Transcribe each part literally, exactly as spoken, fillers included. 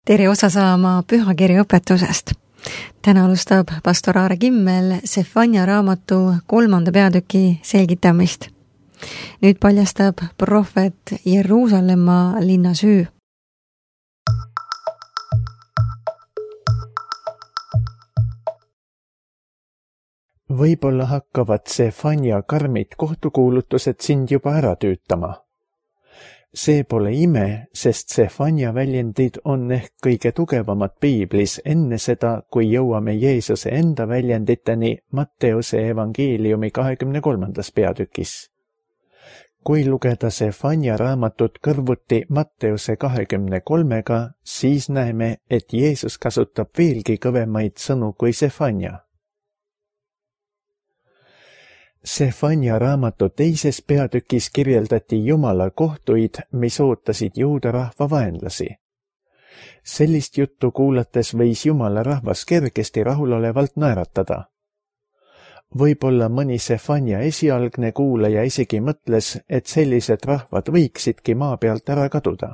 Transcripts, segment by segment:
tere osa saama pühakirja õpetusest. Täna alustab pastor Aare Kimmel Sefania raamatu kolmanda peatüki selgitamist. Nüüd paljastab prohvet Jeruusalemma linna süü. Võib-olla hakkavad Sefania karmid kohtukuulutused sind juba ära tüütama. See pole ime, sest Sefania väljendid on ehk kõige tugevamad piiblis enne seda, kui jõuame Jeesuse enda väljenditeni Matteuse evangeeliumi kahekümne kolmandas peatükis. Kui lugeda Sefania raamatut kõrvuti Matteuse kahekümne kolmega, siis näeme, et Jeesus kasutab veelgi kõvemaid sõnu kui Sefania. Sefania raamatu teises peatükis kirjeldati Jumala kohtuid, mis ootasid juuda rahva vaenlasi. Sellist juttu kuulates võis Jumala rahvas kergesti rahulolevalt naeratada. Võib-olla mõni Sefania esialgne kuulaja isegi mõtles, et sellised rahvad võiksidki maa pealt ära kaduda.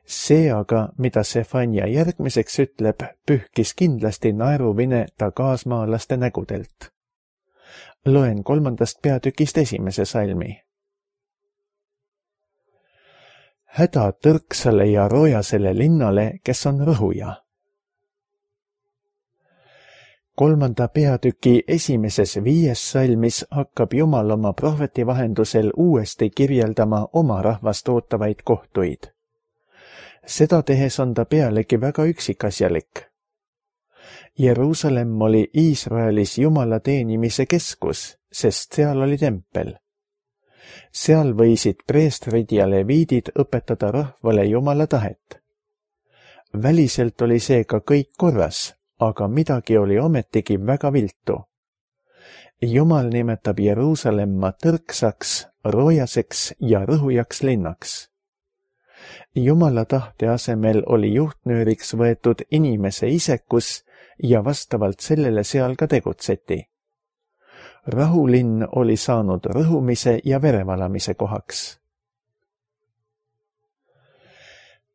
See aga, mida Sefania järgmiseks ütleb, pühkis kindlasti naeruvine ta kaasmaalaste nägudelt. Loen kolmandast peatükist esimese salmi. Häda tõrksale ja roojasele linnale, kes on rõhuja. Kolmanda peatüki esimeses viies salmis hakkab Jumal oma prohveti vahendusel uuesti kirjeldama oma rahvast ootavaid kohtuid. Seda tehes on ta pealegi väga üksikasjalik. Jeruusalemm oli Iisraelis Jumala teenimise keskus, sest seal oli tempel. Seal võisid preestrid ja leviidid õpetada rahvale Jumala tahet. Väliselt oli seega kõik korras, aga midagi oli ometigi väga viltu. Jumal nimetab Jeruusalemma tõrksaks, roojaseks ja rõhujaks linnaks. Jumala tahte asemel oli juhtnööriks võetud inimese isekus ja vastavalt sellele seal ka tegutseti. Rahulinn oli saanud rõhumise ja verevalamise kohaks.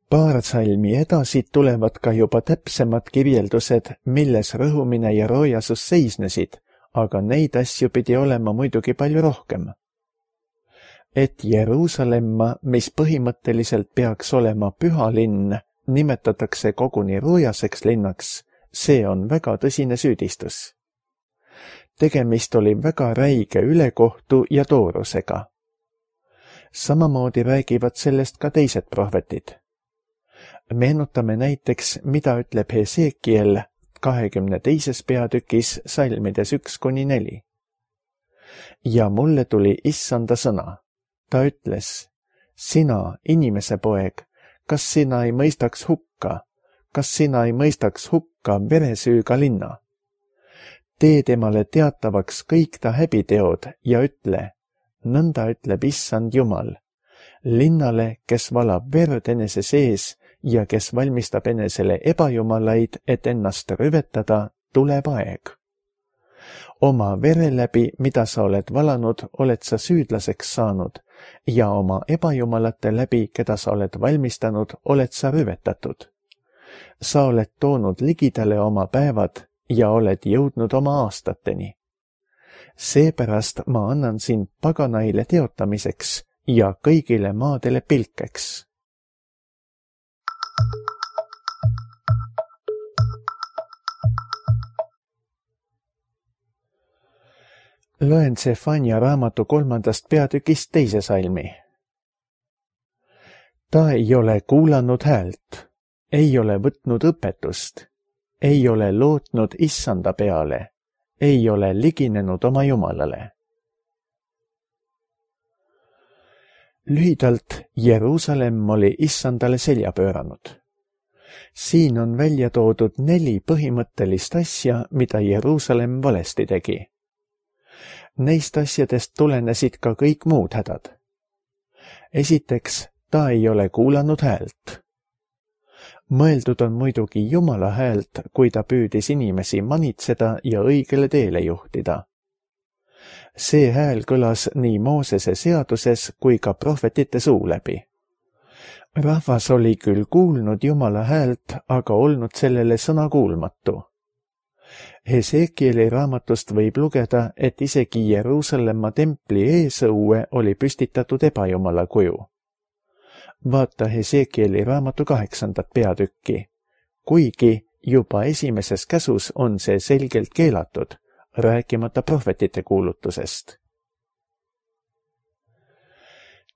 Paar salmi edasi tulevad ka juba täpsemad kirjeldused, milles rõhumine ja roojasus seisnesid, aga neid asju pidi olema muidugi palju rohkem. Et Jeruusalemma, mis põhimõtteliselt peaks olema püha linn, nimetatakse koguni roojaseks linnaks, see on väga tõsine süüdistus. Tegemist oli väga räige ülekohtu ja toorusega. Samamoodi räägivad sellest ka teised prohvetid. Meenutame näiteks, mida ütleb Hesekiel kahekümne teises peatükis salmides üks kuni neli. Ja mulle tuli issanda sõna. Ta ütles, sina, inimese poeg, kas sina ei mõistaks hukka? Kas sina ei mõistaks hukka veresüüga linna? Tee temale teatavaks kõik ta häbiteod ja ütle, nõnda ütleb issand Jumal, linnale, kes valab verd enese sees ja kes valmistab enesele ebajumalaid, et ennast rüvetada, tuleb aeg. Oma vere läbi, mida sa oled valanud, oled sa süüdlaseks saanud ja oma ebajumalate läbi, keda sa oled valmistanud, oled sa rüvetatud. Sa oled toonud ligidale oma päevad ja oled jõudnud oma aastateni. Seepärast ma annan sind paganaile teotamiseks ja kõigile maadele pilkeks. Loen Sefania raamatu kolmandast peatükist teise salmi. Ta ei ole kuulanud häält. Ei ole võtnud õpetust, ei ole lootnud issanda peale, ei ole liginenud oma Jumalale. Lühidalt, Jeruusalemm oli issandale selja pööranud. Siin on välja toodud neli põhimõttelist asja, mida Jeruusalemm valesti tegi. Neist asjadest tulenesid ka kõik muud hädad. Esiteks, ta ei ole kuulanud häält. Mõeldud on muidugi Jumala häält, kui ta püüdis inimesi manitseda ja õigele teele juhtida. See hääl kõlas nii Moosese seaduses kui ka prohvetite suu läbi. Rahvas oli küll kuulnud Jumala häält, aga olnud sellele sõna kuulmatu. Hesekieli raamatust võib lugeda, et isegi Jeruusalemma templi eesõue oli püstitatud ebajumala kuju. Vaata Hesekieli raamatu kaheksandat peatükki. Kuigi juba esimeses käsus on see selgelt keelatud, rääkimata prohvetite kuulutusest.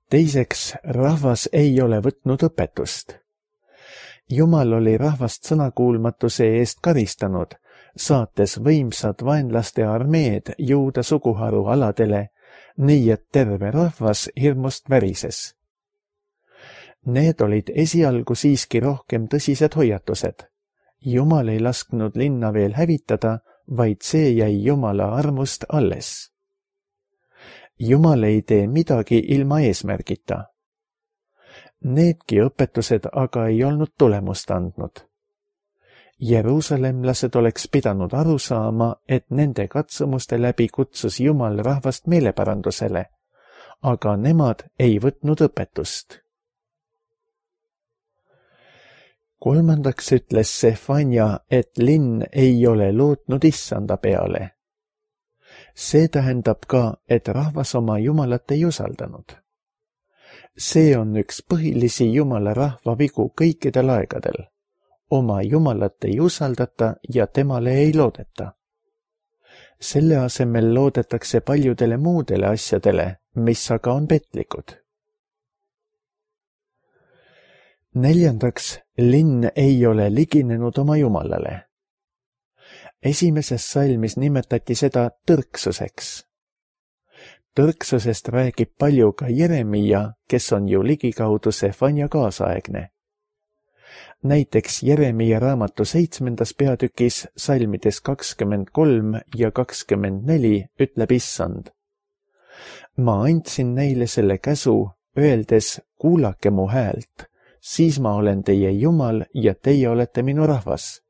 Teiseks, rahvas ei ole võtnud õpetust. Jumal oli rahvast sõnakuulmatuse eest karistanud, saates võimsad vaenlaste armeed Juuda suguharu aladele, nii et terve rahvas hirmust värises. Need olid esialgu siiski rohkem tõsised hoiatused. Jumal ei lasknud linna veel hävitada, vaid see jäi Jumala armust alles. Jumal ei tee midagi ilma eesmärgita. Needki õpetused aga ei olnud tulemust andnud. Jeruusalemlased oleks pidanud aru saama, et nende katsumuste läbi kutsus Jumal rahvast meeleparandusele, aga nemad ei võtnud õpetust. Kolmandaks ütles Sefanja, et linn ei ole lootnud issanda peale. See tähendab ka, et rahvas oma Jumalat ei usaldanud. See on üks põhilisi Jumala rahva vigu kõikidel aegadel. Oma Jumalat ei usaldata ja temale ei loodeta. Selle asemel loodetakse paljudele muudele asjadele, mis aga on petlikud. Neljandaks, linn ei ole liginenud oma Jumalale. Esimeses salmis nimetati seda tõrksuseks. Tõrksusest räägib palju ka Jeremia, kes on ju ligikaudu Sefanja kaasaegne. Näiteks Jeremia raamatu seitsmendas peatükis salmides kakskümmend kolm ja kakskümmend neli ütleb issand. Ma andsin neile selle käsu, öeldes, kuulake mu häält, siis ma olen teie Jumal ja teie olete minu rahvas.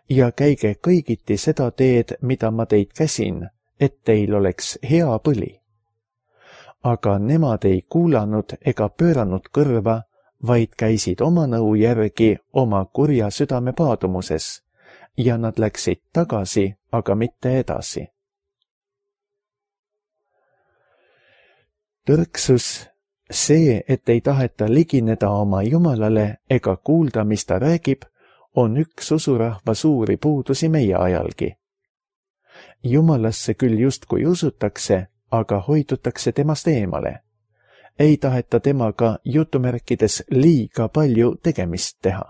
Ja käige kõigiti seda teed, mida ma teid käsin, et teil oleks hea põli. Aga nemad ei kuulanud ega pööranud kõrva, vaid käisid oma nõu järgi oma kurja südame paadumuses ja nad läksid tagasi, aga mitte edasi. Tõrksus, see, et ei taheta ligineda oma Jumalale ega kuulda, mis ta räägib, on üks usurahva suuri puudusi meie ajalgi. Jumalasse küll justkui usutakse, aga hoidutakse temast eemale. Ei taheta temaga jutumärkides liiga palju tegemist teha.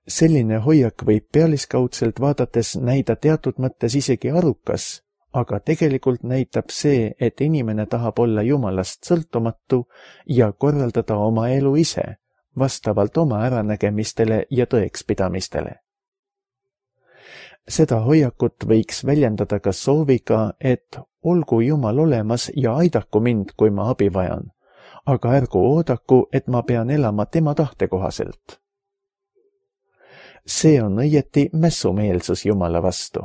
Selline hoiak võib pealiskaudselt vaadates näida teatud mõttes isegi arukas, aga tegelikult näitab see, et inimene tahab olla Jumalast sõltumatu ja korraldada oma elu ise, vastavalt oma äranägemistele ja tõekspidamistele. Seda hoiakut võiks väljendada ka sooviga, et olgu Jumal olemas ja aidaku mind, kui ma abi vajan, aga ärgu oodaku, et ma pean elama tema tahte kohaselt. See on õieti mässumeelsus Jumala vastu.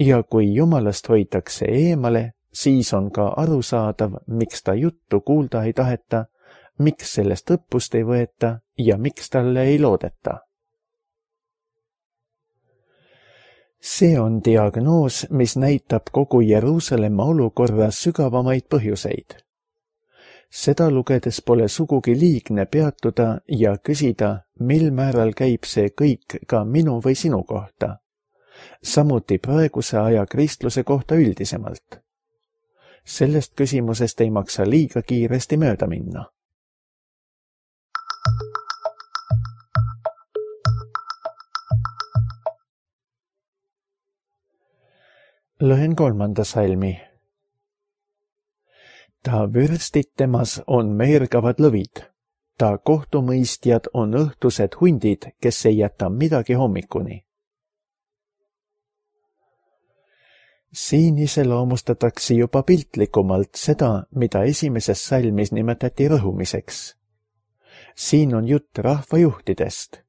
Ja kui Jumalast hoitakse eemale, siis on ka arusaadav, miks ta juttu kuulda ei taheta, miks sellest õppust ei võeta ja miks talle ei loodeta. See on diagnoos, mis näitab kogu Jeruusalemma olukorra sügavamaid põhjuseid. Seda lugedes pole sugugi liigne peatuda ja küsida, mil määral käib see kõik ka minu või sinu kohta. Samuti praeguse aja kristluse kohta üldisemalt. Sellest küsimusest ei maksa liiga kiiresti mööda minna. Loen kolmanda salmi. Ta vürstid temas on meergavad lõvid, ta kohtumõistjad on õhtused hundid, kes ei jäta midagi hommikuni. Siin iseloomustatakse juba piltlikumalt seda, mida esimeses salmis nimetati rõhumiseks. Siin on jutt rahvajuhtidest.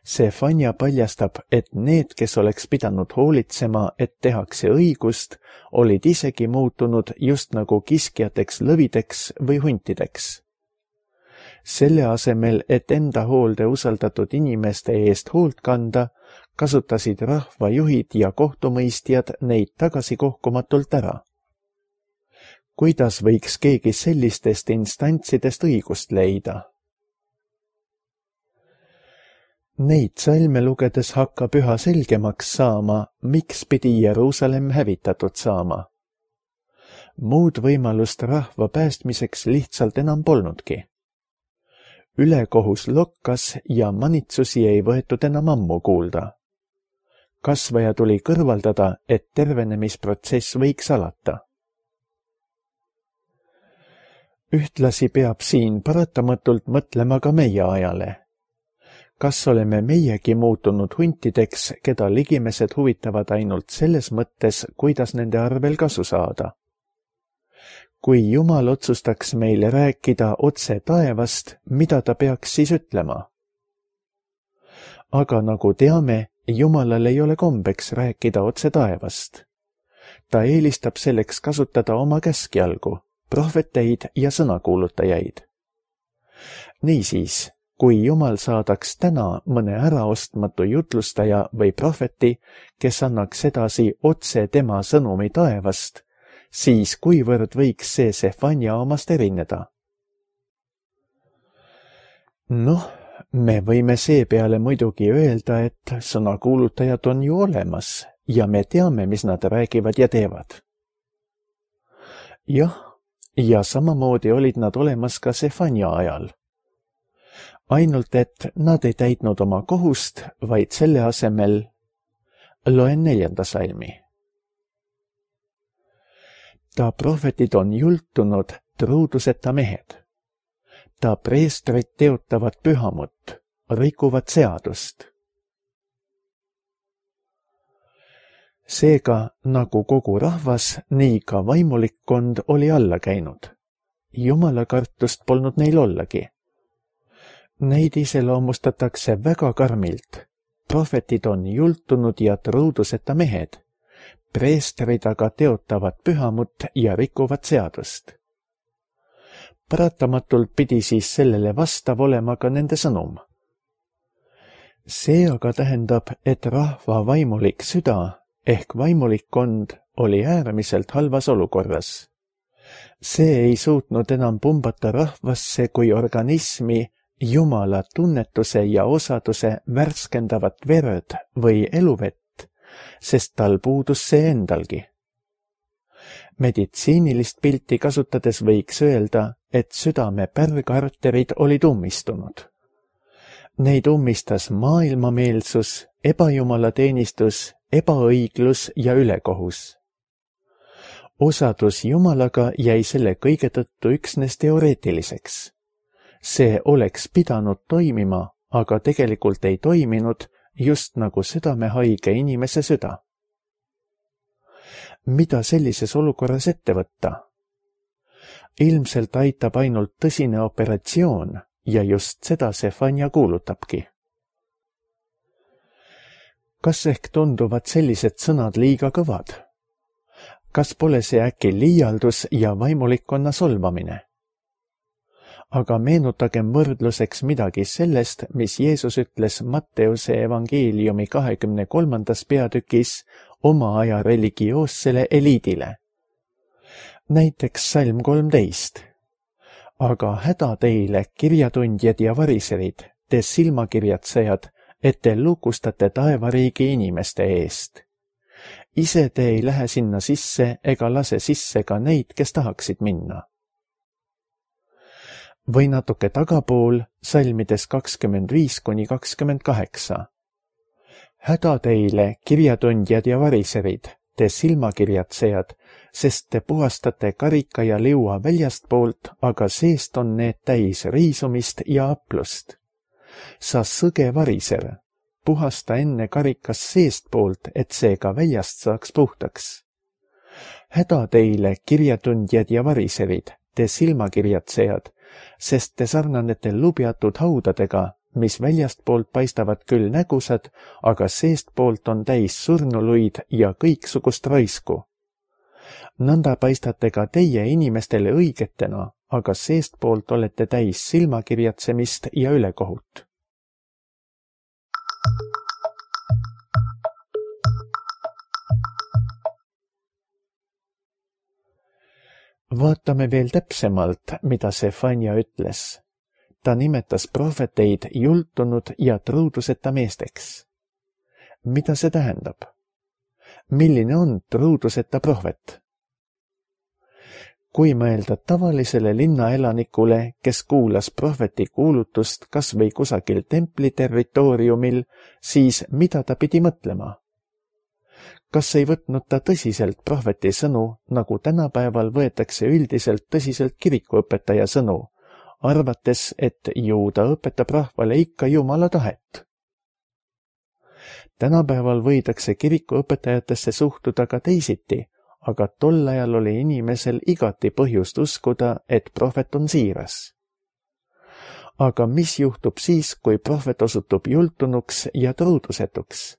Sefanja paljastab, et need, kes oleks pidanud hoolitsema, et tehakse õigust, olid isegi muutunud just nagu kiskjateks lõvideks või huntideks. Selle asemel, et enda hoolde usaldatud inimeste eest hoolt kanda, kasutasid rahvajuhid ja kohtumõistjad neid tagasi kohkumatult ära. Kuidas võiks keegi sellistest instantsidest õigust leida? Neid salme lugedes hakkab üha selgemaks saama, miks pidi Jeruusalemm hävitatud saama. Muud võimalust rahva päästmiseks lihtsalt enam polnudki. Ülekohus lokkas ja manitsusi ei võetud enam ammu kuulda. Kasvaja tuli kõrvaldada, et tervenemisprotsess võiks alata. Ühtlasi peab siin paratamatult mõtlema ka meie ajale. Kas oleme meiegi muutunud huntideks, keda ligimesed huvitavad ainult selles mõttes, kuidas nende arvel kasu saada? Kui Jumal otsustaks meile rääkida otse taevast, mida ta peaks siis ütlema? Aga nagu teame, Jumalal ei ole kombeks rääkida otse taevast. Ta eelistab selleks kasutada oma käskjalgu, prohveteid ja sõnakuulutajaid. Niisiis, kui Jumal saadaks täna mõne äraostmatu jutlustaja või prohveti, kes annaks edasi otse tema sõnumi taevast, siis kuivõrd võiks see Sefanja omast erineda? Noh, me võime seepeale muidugi öelda, et sõnakuulutajad on ju olemas ja me teame, mis nad räägivad ja teevad. Jah, ja samamoodi olid nad olemas ka Sefanja ajal. Ainult, et nad ei täitnud oma kohust, vaid selle asemel loen neljanda salmi. Ta prohvetid on jultunud truuduseta mehed. Ta preestrid teotavad pühamut, rikuvad seadust. Seega, nagu kogu rahvas, nii ka vaimulikkond oli alla käinud. Jumala kartust polnud neil ollagi. Neid iseloomustatakse väga karmilt. Prohvetid on jultunud ja truuduseta mehed. Preestrid aga teotavad pühamut ja rikuvad seadust. Paratamatult pidi siis sellele vastav olema ka nende sõnum. See aga tähendab, et rahva vaimulik süda ehk vaimulikkond oli äärmiselt halvas olukorras. See ei suutnud enam pumbata rahvasse kui organismi Jumala tunnetuse ja osaduse värskendavat verd või eluvett, sest tal puudus see endalgi. Meditsiinilist pilti kasutades võiks öelda, et südame pärgarterid olid ummistunud. Neid ummistas maailmameelsus, ebajumalateenistus, ebaõiglus ja ülekohus. Osadus Jumalaga jäi selle kõige tõttu üksnes teoreetiliseks. See oleks pidanud toimima, aga tegelikult ei toiminud, just nagu südamehaige inimese süda. Mida sellises olukorras ette võtta? Ilmselt aitab ainult tõsine operatsioon ja just seda Sefanja kuulutabki. Kas ehk tunduvad sellised sõnad liiga kõvad? Kas pole see äkki liialdus ja vaimulikkonna solvamine? Aga meenutagem võrdluseks midagi sellest, mis Jeesus ütles Matteuse evangeeliumi kahekümne kolmandas peatükis oma aja religioossele eliidile. Näiteks salm kolmteist. Aga häda teile, kirjatundjad ja variserid, te silmakirjatsejad, et te lukustate taevariigi inimeste eest. Ise te ei lähe sinna sisse ega lase sisse ka neid, kes tahaksid minna. Või natuke tagapool, salmides kakskümmend viis kuni kakskümmend kaheksa. Häda teile, kirjatundjad ja variserid, te silmakirjatsejad, sest te puhastate karika ja liua väljastpoolt, aga seest on need täis riisumist ja aplust. Sa sõge variser, puhasta enne karikas seestpoolt, et see ka väljast saaks puhtaks. Häda teile, kirjatundjad ja variserid, te silmakirjatsejad, sest te sarnanete lubjatud haudadega, mis väljastpoolt paistavad küll nägusad, aga seestpoolt on täis surnuluid ja kõiksugust raisku. Nõnda paistate ka teie inimestele õigetena, aga seestpoolt olete täis silmakirjatsemist ja ülekohut. Vaatame veel täpsemalt, mida Sefania ütles. Ta nimetas prohveteid jultunud ja truuduseta meesteks. Mida see tähendab? Milline on truuduseta prohvet? Kui mõelda tavalisele linnaelanikule, kes kuulas prohveti kuulutust kas või kusagil templi territooriumil, siis mida ta pidi mõtlema? Kas ei võtnud ta tõsiselt prohveti sõnu, nagu tänapäeval võetakse üldiselt tõsiselt kirikuõpetaja sõnu, arvates, et ju ta õpetab rahvale ikka Jumala tahet? Tänapäeval võidakse kirikuõpetajatesse suhtuda ka teisiti, aga tol ajal oli inimesel igati põhjust uskuda, et prohvet on siiras. Aga mis juhtub siis, kui prohvet osutub jultunuks ja truudusetuks?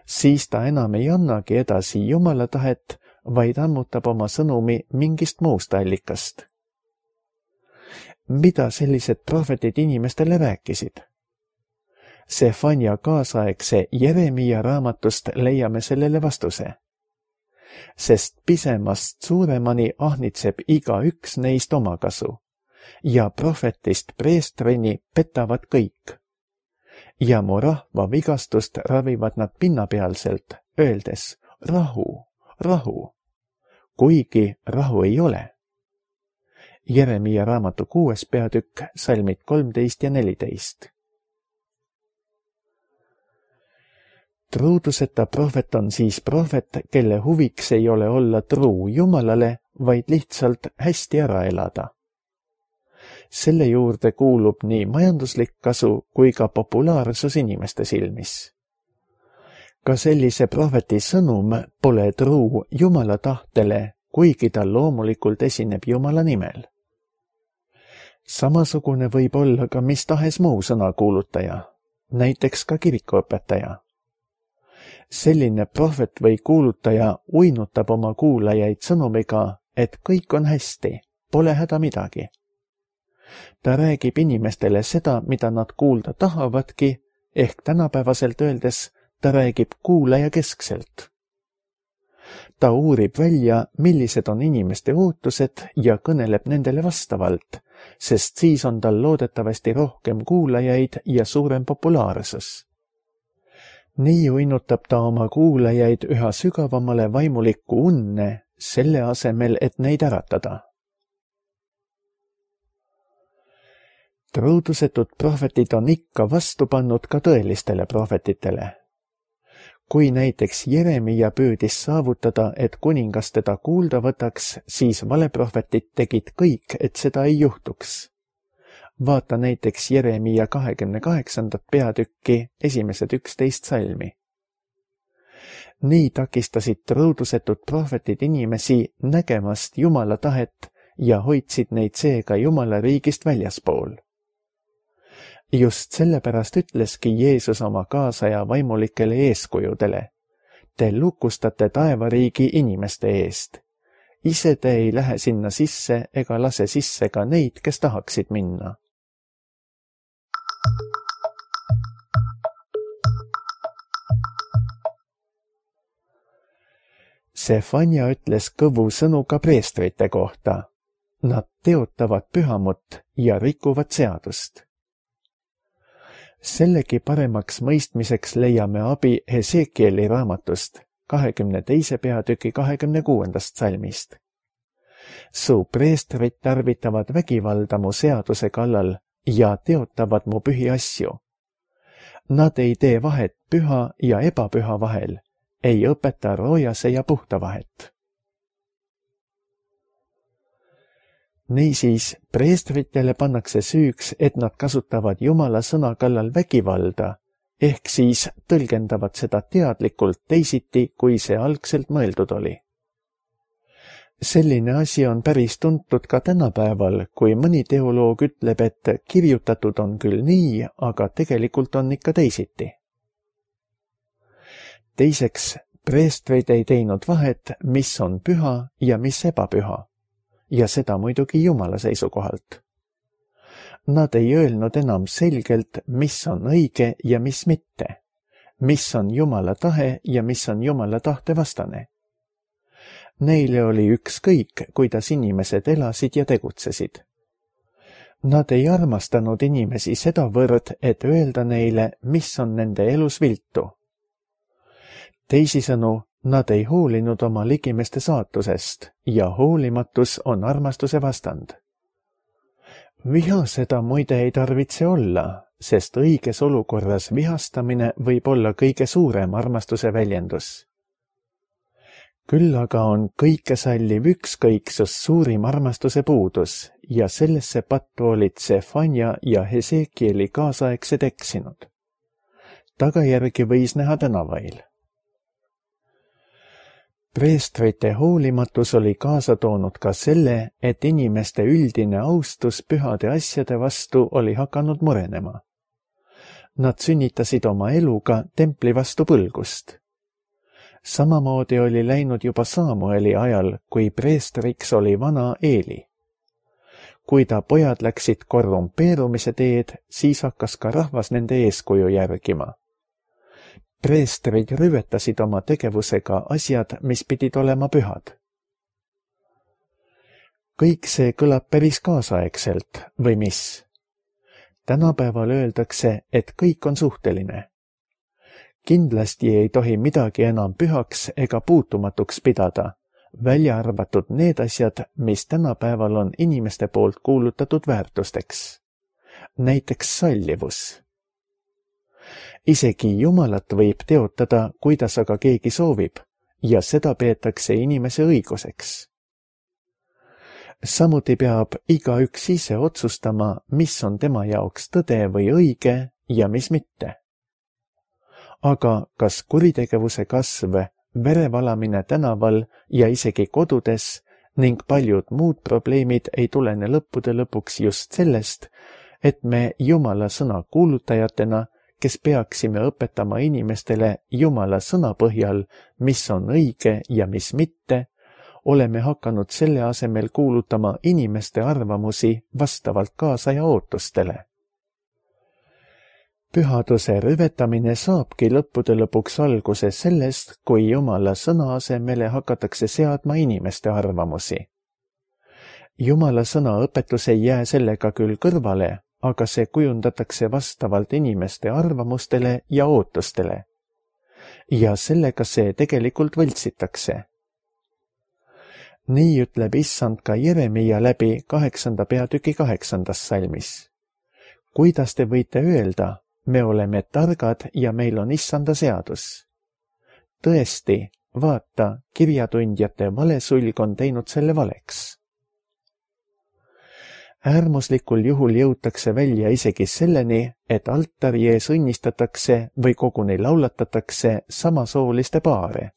Siis ta enam ei annagi edasi Jumala tahet, vaid ammutab oma sõnumi mingist muust allikast. Mida sellised prohvetid inimestele rääkisid? Sefania kaasaegse Jeremia raamatust leiame sellele vastuse. Sest pisemast suuremani ahnitseb iga üks neist omakasu ja prohvetist preestrini petavad kõik. Ja mu rahva vigastust ravivad nad pinnapealselt, öeldes rahu, rahu, kuigi rahu ei ole. Jeremia raamatu kuues peatükk, salmid kolmteist ja neliteist. Truuduseta prohvet on siis prohvet, kelle huviks ei ole olla truu Jumalale, vaid lihtsalt hästi ära elada. Selle juurde kuulub nii majanduslik kasu kui ka populaarsus inimeste silmis. Ka sellise prohveti sõnum pole truu Jumala tahtele, kuigi ta loomulikult esineb Jumala nimel. Samasugune võib olla ka mis tahes muu sõnakuulutaja, näiteks ka kirikuõpetaja. Selline prohvet või kuulutaja uinutab oma kuulajaid sõnumiga, et kõik on hästi, pole häda midagi. Ta räägib inimestele seda, mida nad kuulda tahavadki, ehk tänapäevaselt öeldes ta räägib kuulaja keskselt. Ta uurib välja, millised on inimeste ootused ja kõneleb nendele vastavalt, sest siis on tal loodetavasti rohkem kuulajaid ja suurem populaarsus. Nii uinutab ta oma kuulajaid üha sügavamale vaimulikku unne, selle asemel, et neid äratada. Truudusetud prohvetid on ikka vastu pannud ka tõelistele prohvetitele. Kui näiteks Jeremia püüdis saavutada, et kuningas teda kuulda võtaks, siis valeprohvetid tegid kõik, et seda ei juhtuks. Vaata näiteks Jeremia kahekümne kaheksandat peatükki, esimesed üksteist salmi. Nii takistasid truudusetud prohvetid inimesi nägemast Jumala tahet ja hoidsid neid seega Jumala riigist väljaspool. Just sellepärast ütleski Jeesus oma kaasaja vaimulikele eeskujudele. Te lukustate taevariigi inimeste eest. Ise te ei lähe sinna sisse ega lase sisse ka neid, kes tahaksid minna. Sefania ütles kõvu sõnu ka preestrite kohta. Nad teotavad pühamut ja rikuvad seadust. Sellegi paremaks mõistmiseks leiame abi Hesekieli raamatust, kahekümne teise peatüki kahekümne kuuendast salmist. Su preestrid tarvitavad vägivalda mu seaduse kallal ja teotavad mu pühi asju. Nad ei tee vahet püha ja ebapüha vahel, ei õpeta roojase ja puhta vahet. Niisiis, preestritele pannakse süüks, et nad kasutavad Jumala sõna kallal vägivalda, ehk siis tõlgendavad seda teadlikult teisiti, kui see algselt mõeldud oli. Selline asi on päris tuntud ka tänapäeval, kui mõni teoloog ütleb, et kirjutatud on küll nii, aga tegelikult on ikka teisiti. Teiseks, preestrid ei teinud vahet, mis on püha ja mis ebapüha. ja seda muidugi Jumala seisukohalt. Nad ei öelnud enam selgelt, mis on õige ja mis mitte, mis on Jumala tahe ja mis on Jumala tahte vastane. Neile oli ükskõik, kuidas inimesed elasid ja tegutsesid. Nad ei armastanud inimesi sedavõrd, et öelda neile, mis on nende elus viltu. Teisisõnu, nad ei hoolinud oma ligimeste saatusest ja hoolimatus on armastuse vastand. Viha seda muide ei tarvitse olla, sest õiges olukorras vihastamine võib olla kõige suurem armastuse väljendus. Küll aga on kõikesalliv ükskõiksus suurim armastuse puudus ja sellesse pattu olid Sefanja ja Hesekieli kaasaegsed eksinud. Tagajärgi võis näha tänavail. Preestrite hoolimatus oli kaasa toonud ka selle, et inimeste üldine austus pühade asjade vastu oli hakanud murenema. Nad sünnitasid oma eluga templi vastu põlgust. Samamoodi oli läinud juba Samueli ajal, kui preestriks oli vana Eeli. Kui ta pojad läksid korrumpeerumise teed, siis hakkas ka rahvas nende eeskuju järgima. Preestrid rüvetasid oma tegevusega asjad, mis pidid olema pühad. Kõik see kõlab päris kaasaegselt, või mis? Tänapäeval öeldakse, et kõik on suhteline. Kindlasti ei tohi midagi enam pühaks ega puutumatuks pidada, välja arvatud need asjad, mis tänapäeval on inimeste poolt kuulutatud väärtusteks. Näiteks sallivus. Isegi Jumalat võib teotada, kuidas aga keegi soovib, ja seda peetakse inimese õiguseks. Samuti peab igaüks ise otsustama, mis on tema jaoks tõde või õige ja mis mitte. Aga kas kuritegevuse kasv, verevalamine tänaval ja isegi kodudes ning paljud muud probleemid ei tulene lõppude lõpuks just sellest, et me Jumala sõna kuulutajatena, kes peaksime õpetama inimestele Jumala sõna põhjal, mis on õige ja mis mitte, oleme hakanud selle asemel kuulutama inimeste arvamusi vastavalt kaasaja ootustele. Pühaduse rüvetamine saabki lõppude lõpuks alguse sellest, kui Jumala sõna asemele hakatakse seadma inimeste arvamusi. Jumala sõna õpetus ei jää sellega küll kõrvale, aga see kujundatakse vastavalt inimeste arvamustele ja ootustele. Ja sellega see tegelikult võltsitakse. Nii ütleb issand ka Jeremia läbi kaheksanda peatüki kaheksandas salmis. Kuidas te võite öelda, me oleme targad ja meil on issanda seadus? Tõesti, vaata, kirjatundjate valesulg on teinud selle valeks. Äärmuslikul juhul jõutakse välja isegi selleni, et altari ees õnnistatakse või koguni laulatatakse samasooliste paare.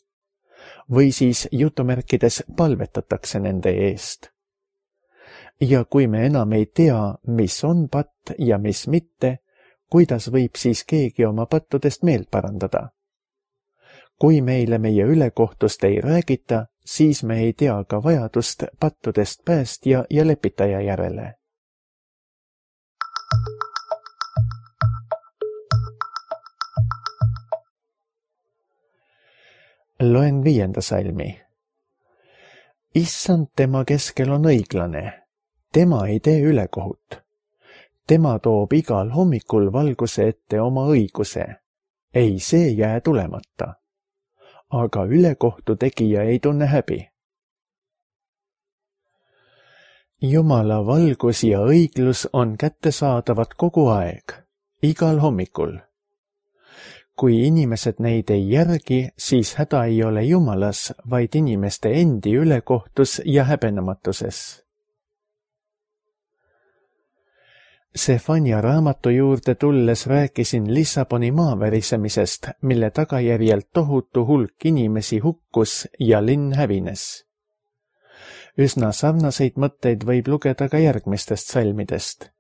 Või siis jutumärkides palvetatakse nende eest. Ja kui me enam ei tea, mis on patt ja mis mitte, kuidas võib siis keegi oma pattudest meelt parandada? Kui meile meie ülekohtust ei räägita, siis me ei tea ka vajadust pattudest päästja ja lepitaja järele. Loen viienda salmi. Issand tema keskel on õiglane. Tema ei tee ülekohut. Tema toob igal hommikul valguse ette oma õiguse. Ei see jää tulemata. Aga ülekohtu tegija ei tunne häbi. Jumala valgus ja õiglus on kättesaadavad kogu aeg, igal hommikul. Kui inimesed neid ei järgi, siis häda ei ole Jumalas, vaid inimeste endi ülekohtus ja häbenematuses. Sefanja raamatu juurde tulles rääkisin Lissaboni maavärisemisest, mille tagajärjel tohutu hulk inimesi hukkus ja linn hävines. Üsna sarnaseid mõtteid võib lugeda ka järgmistest salmidest.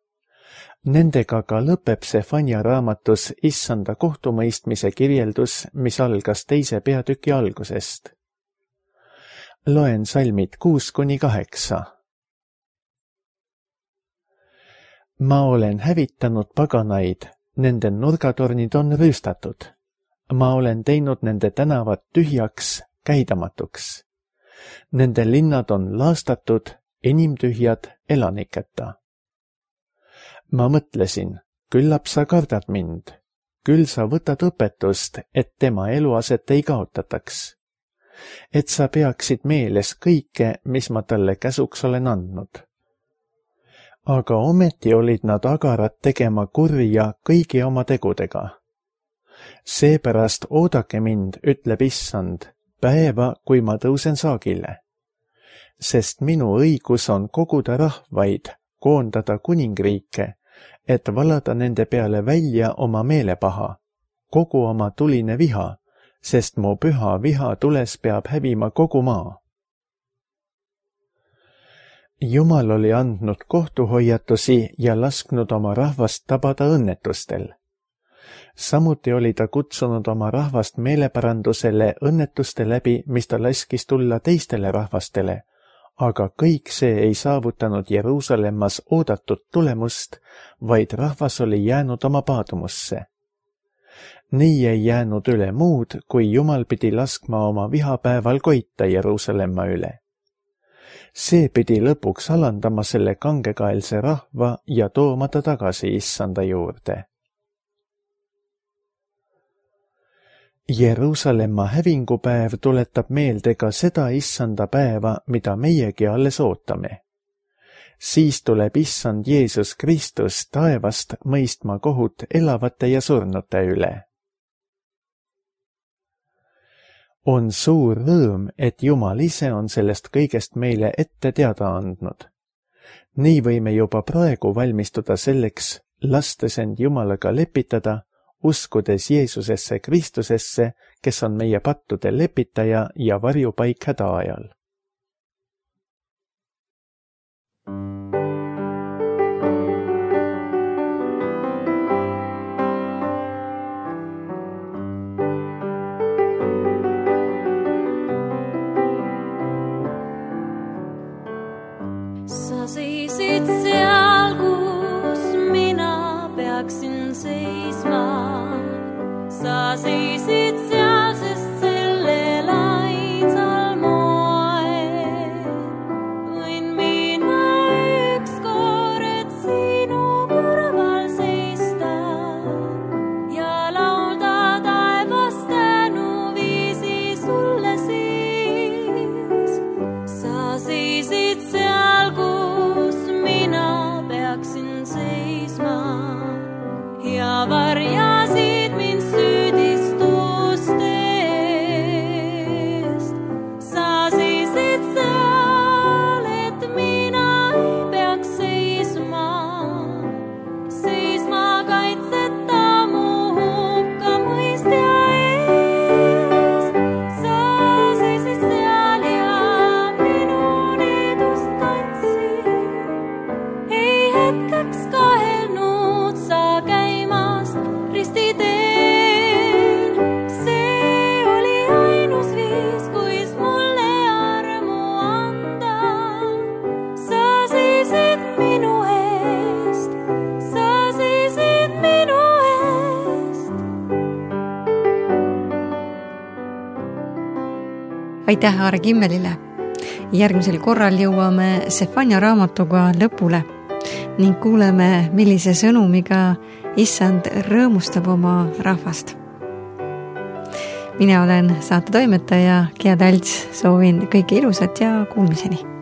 Nendega ka lõpeb Sefanja raamatus issanda kohtumõistmise kirjeldus, mis algas teise peatüki algusest. Loen salmid kuus kuni kaheksa. ma olen hävitanud paganaid, nende nurgatornid on rüüstatud. Ma olen teinud nende tänavad tühjaks, käidamatuks. Nende linnad on laastatud, inimtühjad elaniketa. Ma mõtlesin, küllap sa kardad mind, küll sa võtad õpetust, et tema eluaset ei kaotataks. Et sa peaksid meeles kõike, mis ma talle käsuks olen andnud. Aga ometi olid nad agarad tegema kurja kõigi oma tegudega. Seepärast oodake mind, ütleb issand, päeva, kui ma tõusen saagile. Sest minu õigus on koguda rahvaid, koondada kuningriike, et valada nende peale välja oma meelepaha, kogu oma tuline viha, sest mu püha viha tules peab hävima kogu maa. Jumal oli andnud kohtuhoiatusi ja lasknud oma rahvast tabada õnnetustel. Samuti oli ta kutsunud oma rahvast meeleparandusele õnnetuste läbi, mis ta laskis tulla teistele rahvastele, aga kõik see ei saavutanud Jeruusalemmas oodatud tulemust, vaid rahvas oli jäänud oma paadumusse. Nii ei jäänud üle muud, kui Jumal pidi laskma oma vihapäeval koita Jeruusalemma üle. See pidi lõpuks alandama selle kangekaelse rahva ja tooma ta tagasi issanda juurde. Jeruusalemma hävingupäev tuletab meelde ka seda issanda päeva, mida meiegi alles ootame. Siis tuleb issand Jeesus Kristus taevast mõistma kohut elavate ja surnute üle. On suur rõõm, et Jumal ise on sellest kõigest meile ette teada andnud. Nii võime juba praegu valmistuda selleks, lastes end Jumalaga lepitada, uskudes Jeesusesse Kristusesse, kes on meie pattude lepitaja ja varjupaik häda ajal. Sa seisid seal, kus mina peaksin seisma. Sa seisid seal, sest sellel ainsal moel võin mina ükskord sinu kõrval seista ja laulda taevast tänuviisi sulle siis. Sa seisid seal, kus mina peaksin seisma ja varjasid mind süüdistustest. Sa seisid seal, et mina ei peaks seisma, seisma kaitseta mu hukkamõistja ees. Sa seisid seal ja minu needust kandsid, ei hetkeks kahelnud sa käimast ristiteel. See oli ainus viis, kuis mulle armu anda. Sa seisid minu eest, sa seisid minu eest. aitäh Aare Kimmelile! Järgmisel korral jõuame Sefania raamatuga lõpule ning kuuleme, millise sõnumiga issand rõõmustab oma rahvast. Mina olen saate toimetaja Gea Talts, soovin kõike ilusat ja kuulmiseni!